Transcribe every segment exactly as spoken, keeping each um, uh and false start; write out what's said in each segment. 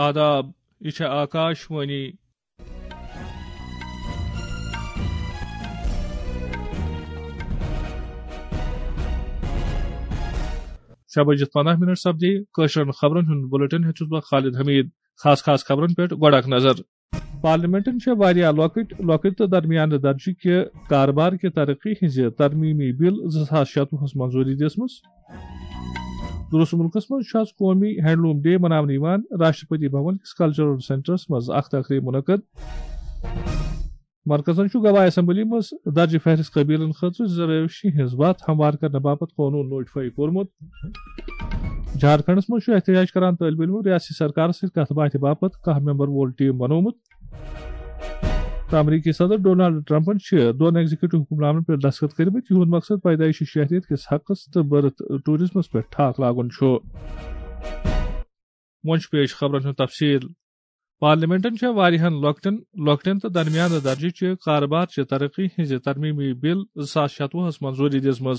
آداب، یہِ چھےٚ آکاش وانی۔ شےٚ بجِتھ پنٛداہ منٹ سپدے۔ کٲشرٮ۪ن خبرن ہُنٛد بلیٹن ہیوٚت چھُس بہٕ خالد حمید۔ خاص خاص خبرن پٮ۪ٹھ گۄڈٕ اکھ نظر۔ پارلیمنٹن چھےٚ واریاہ لۄکٕٹۍ، لۄکٕٹۍ تہٕ درمیانہٕ درجہٕ کہِ کاربار کہِ ترقی ہٕنٛزِ ترمیمی بل زٕ ساس شتوُہس منظوٗری دِژمٕژ۔ درست مُلکس منٛز چھُ آز قومی ہینڈلوم ڈے مناونہٕ یِوان۔ راشٹرپتی بھون کِس کلچرل سینٹرس منٛز اکھ تقریب منعقد۔ مرکزن چھُ گواہ اسمبلی منٛز درجہِ فہرست قبیلن خٲطرٕ ریزرویشن ہٕنٛز وتھ ہموار کرنہٕ باپتھ قونوٗن نوٹیفائی کوٚرمُت۔ جھارکھنڈس منٛز چھُ احتجاج کران طٲلبہِ علمو ریاستی سرکارس سۭتۍ کتھ باتھِ باپتھ کاہ ممبر وول ٹیم بنوومُت۔ تہٕ امریکی صدر ڈونالڈ ٹرمپن چھِ دۄن ایگزیکٹو حکم نامن پٮ۪ٹھ دستخط کٔرمٕتۍ، یِہُنٛد مقصد پیدٲیشی شہریت کِس حقس تہٕ برتھ ٹوریزمس پٮ۪ٹھ ٹھاکھ لاگُن چھُ۔ وۄنۍ چھُ پیش خبرن ہُنٛد تفصیل۔ پارلیمنٹن چھےٚ واریاہن لۄکٹٮ۪ن، لۄکٹٮ۪ن تہٕ درمیانہٕ درجہٕ چہِ کاربار چہِ ترقی ہٕنٛزِ ترمیمی بل زٕ ساس شتوُہس منظوٗری دِژمٕژ۔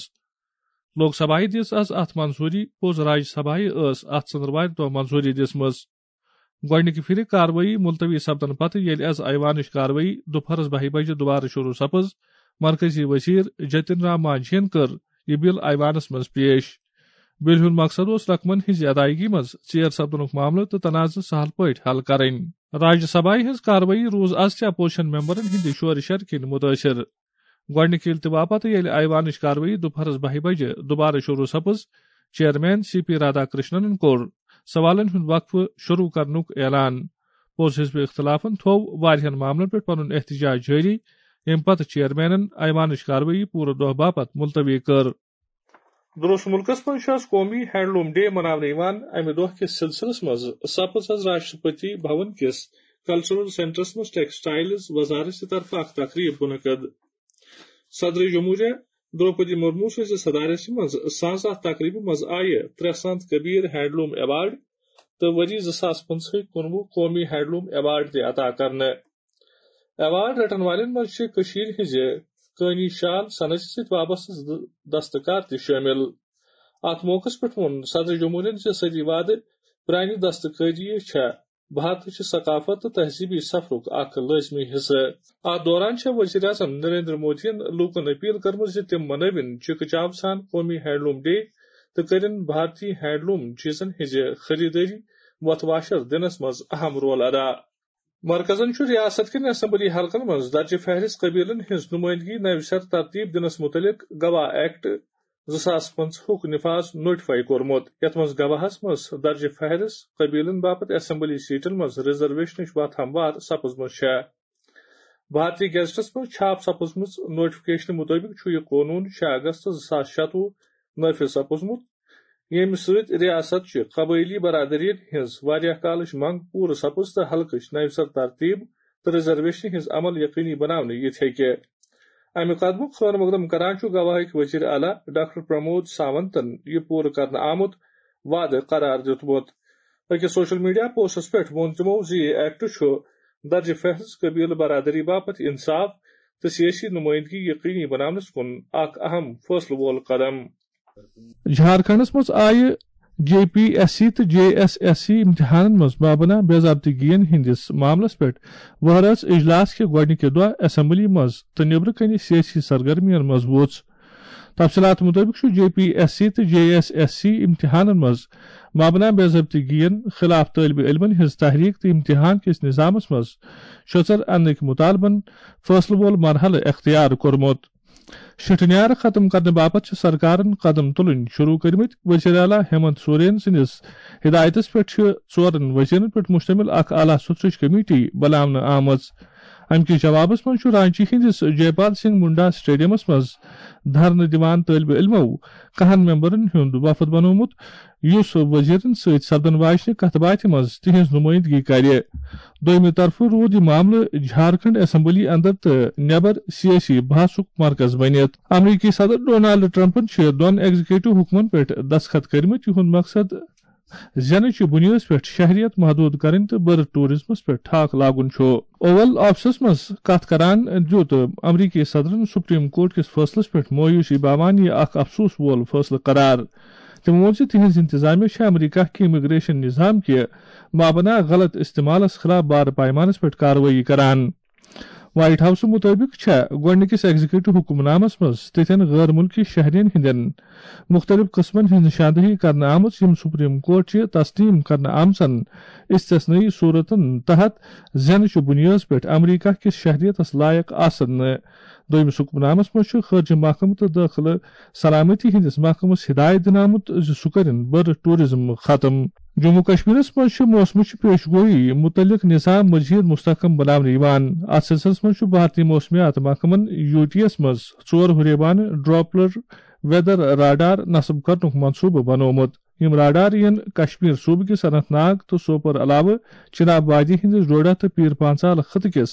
لوک سبھایہ دِژ از اتھ منظوٗری، پوٚز راجیہ سبھایہ ٲس اتھ ژٔنٛدروارِ دۄہ منظوٗری دِژمٕژ۔ گۄڈٕنِکہِ پھِرِ کاروٲیی ملتوی سپدنہٕ پتہٕ ییٚلہِ از ایوانٕچ کاروٲیی دُپہرس بَہہِ بجہِ دوبارٕ شروع سپٕز، مرکزی وزیر جتن رام مانجھین کٔر یہِ بل ایوانس منٛز پیش۔ بلہِ ہُنٛد مقصد اوس رقمن ہٕنٛزِ ادائیگی منٛز ژیر سپدنُک معاملہٕ تہٕ تنازٕ سہل پٲٹھۍ حل کرٕنۍ۔ راجیہ سبھایہ ہٕنٛز کاروٲیی روٗز از تہِ اپوزیشن ممبرن ہٕنٛدِ شورٕ شرٕ کِنۍ مُتٲثِر۔ گۄڈٕنِکہِ التوا پتہٕ ییٚلہِ ایوانٕچ کاروٲیی دُپہرس بَہہِ بجہِ دوبارٕ شروع سپٕز، چیئرمین سی پی رادھا کرشننن کوٚر سوالن ہُنٛد وقفہٕ شروع کرنُک اعلان۔ پوٚز حزب اختلافن تھوو واریاہن معاملن پٮ۪ٹھ پنُن احتجاج جٲری، ییٚمہِ پتہٕ چیئرمینن ایوانٕچ کاروٲیی پوٗرٕ دۄہ باپتھ ملتوی کٔر۔ درست مُلکس منٛز چھُ آز قومی ہینڈلوم ڈے مناونہٕ یِوان۔ امہِ دۄہ کِس سلسلس منٛز سپٕز از راشٹرپتی بھون کِس کلچرل سینٹرس منٛز ٹیکسٹائلز وزارت طرفہٕ اکھ تقریب منعقد۔ صدر جمہوریہ دروپدی مرمو سٕنٛزِ صدارت منٛز ساز اتھ تقریبہِ منٛز آیہِ ترٛےٚ سنت کبیر ہینڈلوم ایوارڈ تہٕ ؤری زٕ ساس پٕنٛژٕہٕکۍ کُنوُہ قومی ہینڈلوم ایوارڈ تہِ عطا کرنہٕ۔ ایوارڈ رٹن والٮ۪ن منٛز چھِ کٔشیٖرِ ہٕنٛزِ کٲنی شال صنعتہِ سۭتۍ وابستہٕ زٕ دستکار تہِ شٲمِل۔ اتھ موقعس پٮ۪ٹھ ووٚن صدر جمہوریہن زِ صدی وادٕ پرٛانہِ دستکٲری چھےٚ بھارتٕچ ثقافت تہٕ تہذیبی سفرُک اکھ لٲزمی حصہٕ۔ اتھ دوران چھےٚ وزیر اعظم نریندر مودیَن لوٗکَن اپیل کٔرمٕژ زِ تِم منٲوِن چِکہٕ چاو سان قومی ہینڈلوم ڈے تہٕ کٔرِن بھارتی ہینڈلوم چیزن ہٕنٛزِ خریدٲری وۄتھ واشر دِنس منٛز اہم رول ادا۔ مرکزن چھُ ریاست کٮ۪ن اسمبلی حلقن منٛز درجہِ فہرست قبیلن ہٕنٛز نمائندگی نوِ سر ترتیب دِنس متعلق گواہ ایکٹ زٕ ساس پٕنٛژٕہُک نفاذ نوٹیفائی کوٚرمُت، یتھ منٛز گواہس منٛز درجہِ فہرست قبیلن باپتھ اسمبلی سیٹن منٛز ریزرویشنٕچ وتھ ہموار سپٕزمٕژ چھےٚ۔ بھارتی گیزٹس منٛز چھاپ سپٕزمٕژ نوٹیفکیشنہٕ مطٲبق چھُ یہِ قونوٗن شےٚ اگست زٕ ساس شتوُہ نافذ سپُزمُت، ییٚمہِ سۭتۍ ریاست چہِ قبٲئلی برادریَن ہٕنٛز واریاہ کالٕچ منٛگ پوٗرٕ سپٕز تہٕ حلقٕچ نوِ سر ترتیب تہٕ ریزرویشنہِ ہٕنٛز عمل یقینی بناونہٕ یِتھ ہیٚکہِ۔ اَمہِ قدمُک خٲر مقدم کران چھُ گواہٕکۍ وزیر اعلیٰ ڈاکٹر پرمود ساونتَن یہِ پوٗرٕ کرنہٕ آمُت وعدٕ قرار دیُتمُت۔ أکِس سوشل میڈیا پوسٹس پٮ۪ٹھ ووٚن تِمو زِ یہِ ایکٹ چھُ درجہِ فہرست قبیلہٕ برادری باپتھ انصاف تہٕ سیٲسی نمائندگی یقینی بناونس کُن اکھ اہم فٲصلہٕ وول قدم۔ جھارکھنڈس منٛز آیہِ جے پی ایس سی تہٕ جے ایس ایس سی امتحانن منٛز مبنی بے ضابطگین ہٕنٛدِس معاملس پٮ۪ٹھ وہرٲژ اجلاس کہِ گۄڈٕنِکہِ دۄہ اسمبلی منٛز تہٕ نیبرٕ کنہِ سیٲسی سرگرمین منٛز ووٚژھ۔ تفصیلات مطٲبق چھُ جے پی ایس سی تہٕ جے ایس ایس سی امتحانن منٛز مبنی بے ضابطگین خلاف طٲلبہِ علمن ہٕنٛز تحریک تہٕ امتحان کِس نظامس منٛز شۄژر اننٕکۍ مطالبن فٲصلہٕ وول مرحلہٕ اختیار کوٚرمُت۔ شِٹہٕ نیار ختم کرنہٕ باپتھ چھِ سرکارن قدم تُلٕنۍ شروع کٔرمٕتۍ۔ وزیر اعلیٰ ہیمنت سورین سٕنٛدِس ہدایتس پٮ۪ٹھ چھِ ژورن وزیرن پٮ۪ٹھ مشتمل اکھ اعلیٰ سطحٕچ کمیٹی بناونہٕ آمٕژ۔ امہِ کِس جوابس منٛز چھُ رانچی ہٕنٛدِس جے پال سنگھ منڈا سٹیڈیمس منٛز دھرنہٕ دِوان طٲلبہِ علمو کہن ممبرن ہُنٛد وفد بنوومُت، یُس وزیرن سۭتۍ سپدن واجنہِ کتھ باتھِ منٛز تِہنٛز نمائندگی کرِ۔ دوٚیمہِ طرفہٕ روٗد یہِ معاملہٕ جھارکھنڈ اسمبلی اندر تہٕ نٮ۪بر سیٲسی بحثُک مرکز بٔنِتھ۔ امریکی صدر ڈونالڈ ٹرمپن چھِ دۄن ایگزیکٹو حکمن پٮ۪ٹھ دستخط کٔرمٕتۍ، یِہُنٛد مقصد زینٕچ بُنیٲدس پٮ۪ٹھ شہریت محدوٗد کرٕنۍ تہٕ برتھ ٹوریزمس پٮ۪ٹھ ٹھاکھ لاگُن چھُ۔ اوول آفسس منٛز کتھ کران دیُت امریکی صدرن سپریم کورٹ کِس فٲصلس پٮ۪ٹھ مایوسی باوان یہِ اکھ افسوس وول فٲصلہٕ قرار۔ تٔمۍ ووٚن زِ تِہنٛز انتظامیہ چھےٚ امریکہ کہِ امیگریشن نظام کہِ مابنا غلط استعمالس خلاف بارٕ پیمانس پٮ۪ٹھ کاروٲیی کران۔ وائٹ ہاؤسہٕ مُطٲبِق چھےٚ گۄڈٕنِکِس ایگزیکٹو حکم نامس منٛز تِتھٮ۪ن غٲر مُلکی شہرین ہٕنٛدٮ۪ن مُختٔلِف قٕسمن ہٕنٛز نشاندہی کرنہٕ آمٕژ، یِم سپریم کورٹ چہِ تسلیم کرنہٕ آمژن استثنائی صورتن تحت زینہٕ چہِ بُنیٲدس پٮ۪ٹھ امریکہ کِس شہریتس لایق آسن نہٕ۔ دوٚیمِس حکم نامس منٛز چھُ خارجہ محکمہٕ تہٕ دٲخلہٕ سلامتی ہٕنٛدِس محکمس ہدایت دِنہٕ آمُت زِ سُہ کٔرِن بٔرٕ ٹورازم ختم۔ جموں کشمیرس منٛز چھِ موسمٕچ پیش گویی مُتعلق نظام مزید مستحکم بناونہٕ یِوان۔ اتھ سلسلس منٛز چھُ بھارتی موسمیات محکمن یو ٹی یس منٛز ژور ہُریبانہٕ ڈراپلر ویدر راڈار نصب کرنُک منصوبہٕ بنوومُت۔ یِم راڈار یِن کشمیر صوبہٕ کِس اننت ناگ تہٕ سوپور علاوٕ چناب وادی ہٕنٛدِس ڈوڈہ تہٕ پیر پانژال خطہٕ کِس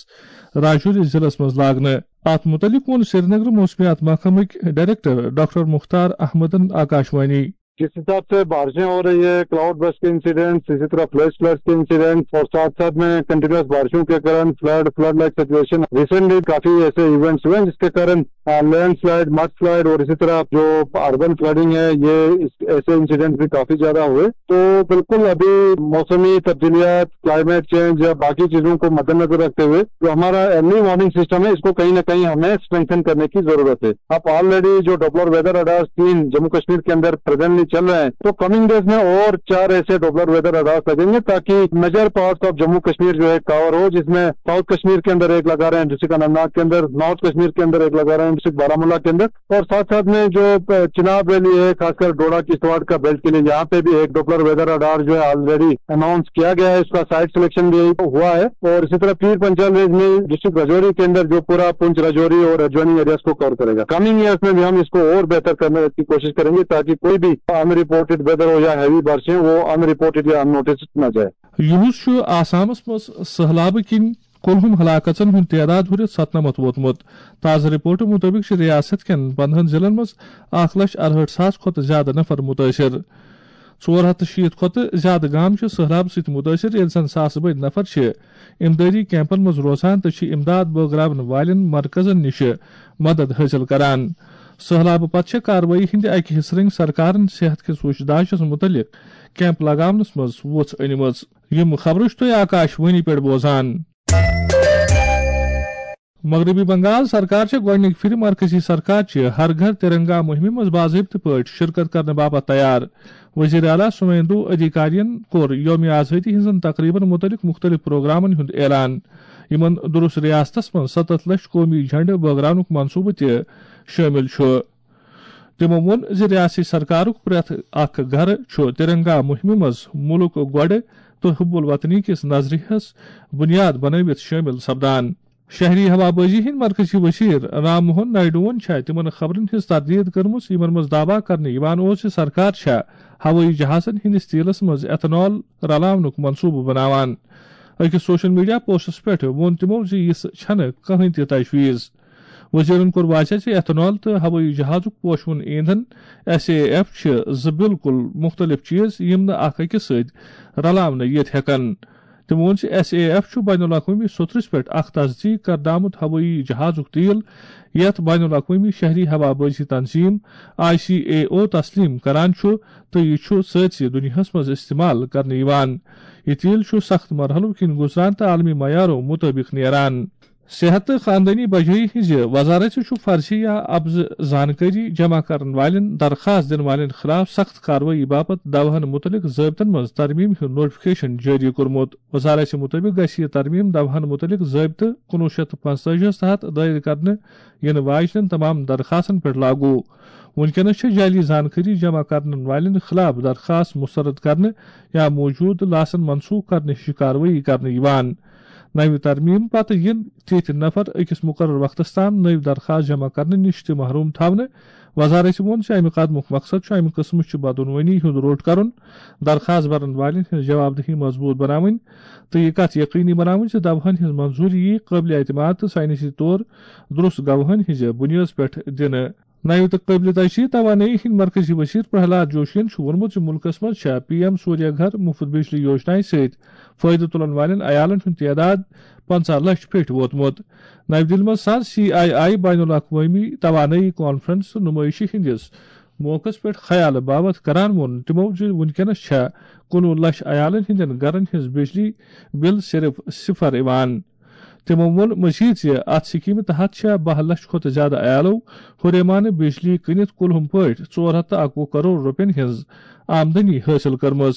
راجوری ضلعس منٛز لاگنہٕ۔ اتھ مُتعلق ووٚن سرینگر موسمیات محکمٕکۍ ڈائریکٹر ڈاکٹر مختار احمدن آکاشوانی۔ جس حساب سے بارشیں ہو رہی ہے، کلاؤڈ برسٹ کے انسیڈنٹس، اسی طرح فلیش فلڈز کے انسیڈنٹس اور ساتھ ساتھ میں کنٹینیوس بارشوں کے کارن flood, flood like situation, recently کافی ایسے ایونٹس ہوئے ہیں جس کے کارن لینڈ سلائڈ، مڈ سلائڈ اور اسی طرح جو اربن فلڈنگ ہے، یہ اس، ایسے انسیڈنٹس بھی کافی زیادہ ہوئے۔ تو بالکل ابھی موسمی تبدیلیات، کلائمیٹ چینج یا باقی چیزوں کو مدنظر رکھتے ہوئے جو ہمارا ارلی وارننگ سسٹم ہے، اس کو کہیں نہ کہیں ہمیں اسٹرینتھن کرنے کی ضرورت ہے۔ اب آلریڈی جو ڈوپلر ویدر رڈارز تین جموں کشمیر کے اندر پریزنٹلی چل رہے ہیں، تو کمنگ ڈیز میں اور چار ایسے ڈوپلر ویدر رڈارز لگیں گے تاکہ major parts of Jammu Kashmir جو ہے کور ہو، جس میں ساؤتھ کشمیر کے اندر ایک لگا رہے ہیں، ڈسٹرکٹ اننت ناگ کے اندر، نارتھ کشمیر کے اندر ایک لگا رہے ہیں، ڈسٹرکٹ بارہ مولہ کے اندر، اور ساتھ ساتھ میں جو چناب ویلی ہے، خاص کر ڈوڈا کشتواڑ کا بیلٹ کے لیے، یہاں پہ بھی ایک ڈوپلر ویدر رڈار جو ہے آلریڈی اناؤنس کیا گیا ہے، اس کا سائٹ سلیکشن بھی ہوا ہے۔ اور اسی طرح پیر پنچال رینج میں ڈسٹرکٹ راجوری کے اندر جو پورا پونچھ راجوری اور ایڈجوائننگ ایریاز کو کور کرے گا۔ کمنگ ایئرز میں بھی ہم اس کو اور بہتر کرنے کی کوشش کریں گے تاکہ کوئی بھی ان رپورٹڈ ویدر ہو یا ہیوی بارشیں، وہ ان رپورٹڈ یا ان نوٹسڈ نہ جائے۔ یُہُس چھُ آسامس منٛز سٔہلابہٕ کِنۍ کُلہُم ہلاکژن ہُنٛد تعداد ہُرِتھ ستنمتھ ووتمُت۔ تازٕ رپورٹہٕ مُطٲبِق چھِ ریاست کٮ۪ن پندہن ضلعن منٛز اکھ لچھ ارہٲٹھ ساس کھۄتہٕ زیادٕ نفر مُتٲثِر۔ ژور ہتھ تہٕ شیٖتھ کھۄتہٕ زیادٕ گام چھِ سٔہلابہٕ سۭتۍ مُتٲثِر، ییٚلہِ زن ساسہٕ بٔدۍ نفر چھِ امدادی کیمپن منٛز روزان تہٕ چھِ امداد بٲگراون والٮ۪ن مرکزن نِش مدد حٲصِل کران۔ سٔہلابہٕ پتہٕ چھےٚ کاروٲیی ہٕنٛدِ اکہِ حصہٕ رٔنگۍ سرکارن صحت کِس وُچھ داشس مُتعلق کیمپ لگاونس منٛز وُژھ أنمٕژ۔ یِم خبرٕ چھِ تُہۍ آکاش وانی پٮ۪ٹھ بوزان۔ مغربی بنگال سرکار چھےٚ گۄڈٕنِکۍ پھِرِ مرکزی سرکار چہِ ہر گھر ترنگا مُہِمہِ منٛز باضٲبطہٕ پٲٹھۍ شرکت کرنہٕ باپتھ تیار۔ وزیر اعلیٰ سُویندو ادھیکارین کوٚر یوم آزٲدی ہٕنٛزن تقریبن مُتعلق مُختٔلِف پروگرامن ہُنٛد اعلان، یِمن درست ریاستس منٛز ستتھ لچھ قومی جھنڈٕ بٲگراونُک منصوبہٕ تہِ شٲمِل چھُ۔ تِمو ووٚن زِ ریاستی سرکارُک پرٛٮ۪تھ اکھ گھرٕ چھُ ترنگا مُہِمہِ منٛز مُلک گۄڈٕ تہٕ حب الوطنی کِس نظریہس بُنیاد بنٲوِتھ شٲمِل سپدان۔ شہری ہوابازی ہٕنٛدۍ مرکزی وزیر رام موہن نائیڈوہن چھےٚ تِمن خبرن ہٕنٛز تردید کٔرمٕژ، یِمن منٛز دعویٰ کرنہٕ یِوان اوس زِ سرکار چھےٚ ہوٲیی جہازن ہٕنٛدِس تیلس منٛز ایتھنال رلاونُک منصوبہٕ بناوان۔ أکِس سوشل میڈیا پوسٹس پٮ۪ٹھ ووٚن تِمو زِ یہِ چھَنہٕ کٕہٕنۍ تہِ تجویز۔ وزیرن کوٚر واضح زِ ایتھنال تہٕ ہوٲیی جہازُک پوشوُن ایندھن، ایس اے ایف، چھِ زٕ بالکل مُختٔلِف چیز، یِم نہٕ اکھ أکِس سۭتۍ رلاونہٕ یِتھ ہٮ۪کن۔ تٔمۍ ووٚن زِ ایس اے ایف چھُ بین الاقوٲمی سوٚتھرِس پٮ۪ٹھ اکھ تصدیق کردٕ آمُت ہوٲیی جہازُک تیل، یتھ بین الاقوٲمی شہری ہوابازی تنظیم، آئی سی اے او، تسلیم کران چھُ، تہٕ یہِ چھُ سٲرِسٕے دُنیاہَس منٛز استعمال کرنہٕ یِوان۔ یہِ تیل چھُ سخت مرحلو کِنۍ گُزران تہٕ عالمی معیارو مُطٲبِق نیران۔ صحت تہٕ خاندٲنی بجٲیی ہٕنٛزِ وزارت چھُ فرضی یا اپزٕ زانکٲری جمع کرن والٮ۪ن درخواست دِنہٕ والٮ۪ن خلاف سخت کاروٲیی باپتھ دوہَن مُتعلق ضٲبطن منٛز ترمیم ہُنٛد نوٹیفکیشن جٲری کوٚرمُت۔ وزارت مُطٲبِق گژھِ یہِ ترمیم دوہَن مُتعلق ضٲبطہٕ کُنوُہ شیٚتھ تہٕ پنٛژتٲجی ہَس تحت دٲیر کرنہٕ یِنہٕ واجنٮ۪ن تمام درخواستن پٮ۪ٹھ لاگو۔ وُنکیٚنَس چھِ جعلی زانکٲری جمع کرن والٮ۪ن خلاف درخواست مسترد کرنہٕ یا موجودٕ لاسن منسوخ کرنہٕ ہِش کاروٲیی کرنہٕ یِوان۔ نَوِ ترمیٖم پتہٕ یِن تِتھۍ نفر أکِس مُقرر وقتَس تام نٔوۍ درخواست جمع کرنہٕ نِش تہِ محروم تھاونہٕ۔ وزارتہِ ووٚن زِ اَمہِ قدمُک مقصد چھُ اَمہِ قٕسمٕچ بدعنوٲنی ہُنٛد روٚٹ کرُن، درخواست بھرن والٮ۪ن ہٕنٛز جواب دہی مضبوٗط بناوٕنۍ تہٕ یہِ کتھ یقینی بناوٕنۍ زِ دوہَن ہٕنٛز منظوٗری یِیہِ قٲبلِ اعتماد تہٕ ساینسی طور درست گواہَن ہٕنٛزِ بُنیٲدَس پٮ۪ٹھ دِنہٕ۔ نَوِ تہٕ قٲبلِ تجدید توانٲیی ہٕنٛدۍ مرکزی وزیر پرہلاد جوشین چھُ ووٚنمُت زِ مُلکَس منٛز چھےٚ پی ایم سوریہ گھر مُفت بجلی یوجنایہِ سۭتۍ فٲیدٕ تُلَن والٮ۪ن عیالَن ہُنٛد تعداد پنٛژاہ لَچھ پٮ۪ٹھ ووتمُت۔ نَوِ دِلہِ منٛز سپد سی آئی آئی بین الاقوٲمی توانٲیی کانفرنس تہٕ نُمٲیشہِ ہٕنٛدِس موقعس پٮ۪ٹھ خیال باوتھ کران ووٚن تِمو زِ وُنکیٚنس چھےٚ کُنوُہ لچھ عیالن ہٕنٛدٮ۪ن گرن ہٕنٛز بجلی بل صرف صفر یِوان۔ تِمو ووٚن مزید زِ اتھ سکیمہِ تحت چھےٚ باہ لچھ کھۄتہٕ زیادٕ عیالو ہُریمانہٕ بجلی کٕنِتھ کُلہُم پٲٹھۍ ژور ہتھ تہٕ اکوُہ کرور رۄپین ہٕنٛز آمدنی حٲصِل کٔرمٕژ۔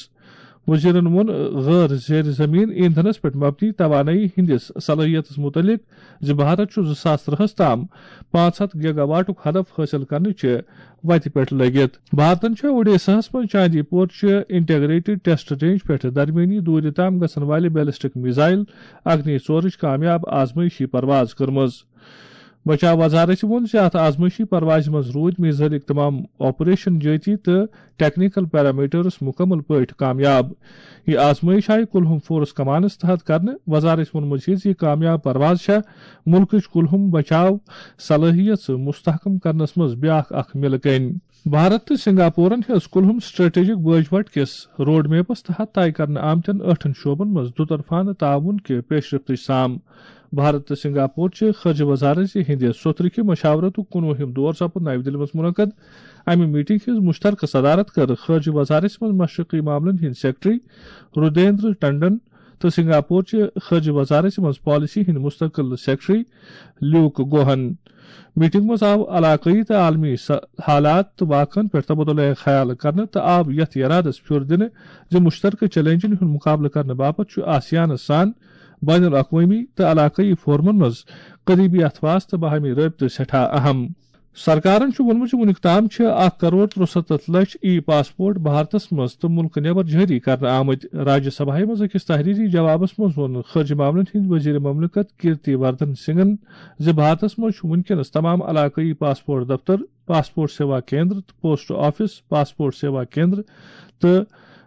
وزیرن ووٚن غٲر زیر زمین ایندھنس پٮ۪ٹھ مبنی توانٲیی ہٕنٛدِس صلٲحیتس متعلق زِ بھارت چھُ زٕ ساس ترٛہس تام پانٛژھ ہتھ گیگا واٹُک ہدف حٲصِل کرنٕچہِ وتہِ پٮ۪ٹھ لٔگِتھ۔ بھارتن چھےٚ اوڈیساہس منٛز چاندی پور چہِ انٹیگریٹڈ ٹیسٹ رینج پٮ۪ٹھ درمیٲنی دوٗرِ تام گژھن والہِ بیلسٹک میزائل اگنی ژورٕچ کامیاب آزمٲیشی پرواز کٔرمٕژ۔ بچاو وزارت ووٚن زِ اتھ آزمٲیشی پروازِ منٛز روٗدۍ میزائلٕکۍ تمام آپریشن جٲتی تہٕ ٹیکنیکل پیرامیٹرز مکمل پٲٹھۍ کامیاب۔ یہِ آزمٲیش آیہِ کُلہُم فورس کمانس تحت کرنہٕ۔ وزارت ووٚن مزید زِ یہِ کامیاب پرواز چھےٚ مُلکٕچ کُلہُم بچاو صلٲحیت مستحکم کرنس منٛز بیاکھ اکھ مِلہٕ کٔنۍ۔ بھارت تہٕ سنگاپورن ہیٚژ کُلہُم سٹریٹجک باجوٹ کِس روڈ میپس تحت طے کرنہٕ آمتٮ۪ن ٲٹھن شعبن منٛز دُطرفانہٕ تعاون کہِ پیشرفتٕچ سام۔ بھارت تہٕ سنگاپور چہِ خارجہ وزارت ہٕنٛدِ سوٚترٕ کہِ مشاورتُک کُنوُہِم دور سپُد نَوِ دِلہِ منٛز منعقد۔ امہِ میٹنگ ہٕنٛز مشترکہ صدارت کٔر خارجہ وزارت منٛز مشرقی معاملن ہٕنٛدۍ سیکرٹری رودیندر ٹنڈن تہٕ سنگاپور چہِ خارجہ وزارت منٛز پالیسی ہٕنٛدۍ مستقل سیکرٹری لیوک گوہن۔ میٹنگ منٛز آو علاقٲیی تہٕ عالمی س-، حالات تہٕ واقعن پٮ۪ٹھ تبادلہ خیال کرنہٕ تہٕ آو یتھ یرادس پھیُر دِنہٕ زِ مشترکہ چیلنجن ہُنٛد مقابلہٕ کرنہٕ باپتھ چھُ آسیانس سان بین الاقوٲمی تہٕ علاقٲیی فورمن منٛز قریبی اتھواس تہٕ باہمی رٲبطہٕ سٮ۪ٹھاہ اہم۔ سرکارن چھُ ووٚنمُت زِ وُنیُک تام چھِ اکھ کرور ترُسَتتھ لچھ ای پاسپورٹ بھارتس منٛز تہٕ مُلکہٕ نٮ۪بر جٲری کرنہٕ آمٕتۍ۔ راجیہ سبھایہ منٛز أکِس تحریری جوابس منٛز ووٚن خارجہ معاملن ہٕنٛدۍ وزیر مملکت کیرتی وردھن سنگھن زِ بھارتس منٛز چھُ وُنکیٚنس تمام علاقٲیی پاسپورٹ دفتر، پاسپورٹ سیوا کیندر تہٕ post office, passport Seva Kendra تہٕ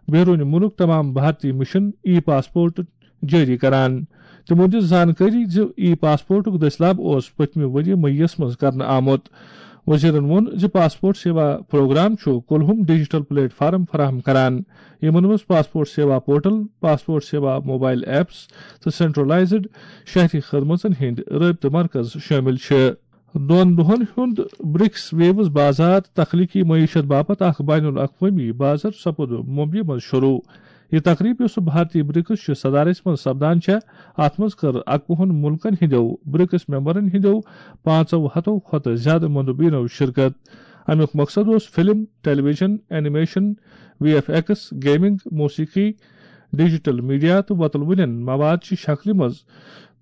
بیرون مُلک تمام بھارتی مشن ای پاسپورٹ جٲری کران۔ تِمو دِژ زانکٲری زِ ای پاسپورٹُک دٔسلاب اوس پٔتمہِ ؤرۍ یہِ مئی یَس منٛز کرنہٕ آمُت۔ وزیرَن ووٚن زِ پاسپورٹ سیوا پروگرام چھُ کُلہُم ڈیجیٹل پلیٹ فارم فراہم کران، یِمَن منٛز پاسپورٹ سیوا پورٹل، پاسپورٹ سیوا موبائل ایپس تہٕ سینٹرلائزڈ شہری خدمژن ہٕنٛدۍ رٲبطہٕ مرکز شٲمِل چھِ۔ دۄن دۄہَن ہُنٛد برکس ویوز بازار تخلیقی معیشت باپتھ اکھ بین الاقوٲمی بازار سپُد ممبیہِ منٛز شروع۔ یہِ تقریب، یۄس بھارتی برکس چہِ صدارت منٛز سپدان چھےٚ، اتھ منٛز کٔر اکوُہن مُلکن ہٕنٛدیو برکس ممبرن ہٕنٛدیو پانٛژو ہتو کھۄتہٕ زیادٕ مندوبینو شرکت۔ امیُک مقصد اوس film, television, animation, V F X, gaming, موسیقی، ڈیجیٹل میڈیا تہٕ وۄتلوٕنٮ۪ن مواد چہِ شکلہِ منٛز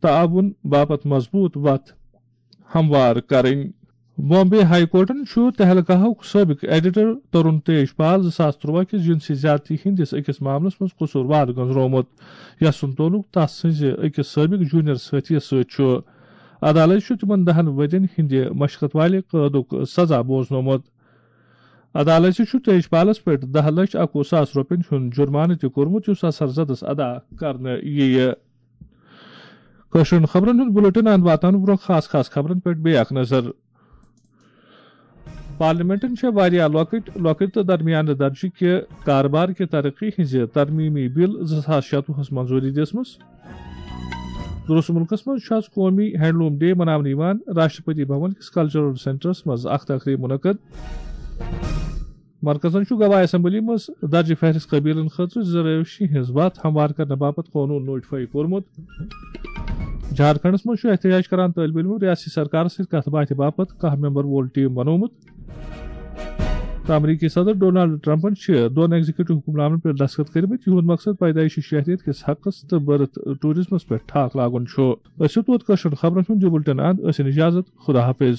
تعاون باپتھ مضبوط وتھ ہموار کرٕنۍ۔ بامبے ہائی کورٹن چھُ تہلکاہُک سٲبق ایڈیٹر ترون تیج پال زٕ ساس ترٛواہ کِس جنسی زیادتی ہٕنٛدِس أکِس معاملس منٛز قصوٗروار گٔنٛزرومُت، یَس سُنٛد تعلق تس سٕنٛزِ أکِس سٲبق جونیئر سٲتھی سۭتۍ چھُ۔ عدالت چھُ تِمن دَہن ؤرین ہٕنٛدِ مشقت والہِ قٲدُک سزا بوزنومُت۔ عدالتہِ چھُ تیج پالس پٮ۪ٹھ دَہ لچھ اَکوُہ ساس رۄپین ہُنٛد جُرمانہٕ تہِ کوٚرمُت، یُس اثر زدس ادا کرنہٕ یِیہِ۔ کٲشرٮ۪ن خبرن ہُنٛد بُلٹن اند واتنہٕ برٛونٛہہ خاص خاص خبرن پٮ۪ٹھ بیٚیہِ اکھ نظر۔ پارلیمنٹن چھےٚ واریاہ لۄکٕٹۍ، لۄکٕٹۍ تہٕ درمیانہٕ درجہٕ کہِ کاربار کہِ ترقی ہٕنٛزِ ترمیمی بل زٕ ساس شتوُہس منظوٗری دِژمٕژ۔ درست مُلکس منٛز چھُ آز قومی ہینڈلوم ڈے مناونہٕ یِوان۔ راشٹرپتی بھون کِس کلچرل سینٹرس منٛز اکھ تقریب منعقد۔ مرکزن چھُ گواہ اسمبلی منٛز درجہِ فہرست قبیلن خٲطرٕ زرٲوشی ہٕنٛز وتھ ہموار کرنہٕ باپتھ قونوٗن نوٹیفائی کوٚرمُت۔ جھارکھنڈس منٛز چھُ احتجاج کران طٲلبہِ علمو ریاستی سرکارس سۭتۍ کتھ باتھِ باپتھ کاہ ممبر وول ٹیم بنوومُت۔ تہٕ امریکی صدر ڈونالڈ ٹرمپن چھِ دۄن ایگزیکٹو حکم نامن پٮ۪ٹھ دستخط کٔرمٕتۍ، یِہُنٛد مقصد پیدائشی شہریت کِس حقس تہٕ برتھ ٹورازمس پٮ۪ٹھ ٹھاک لاگُن چھُ۔ أسۍ چھِ توت کٲشرٮ۪ن خبرن ہُنٛد یہِ بُلٹن اند۔ أسۍ ہن اجازت۔ خدا حافظ۔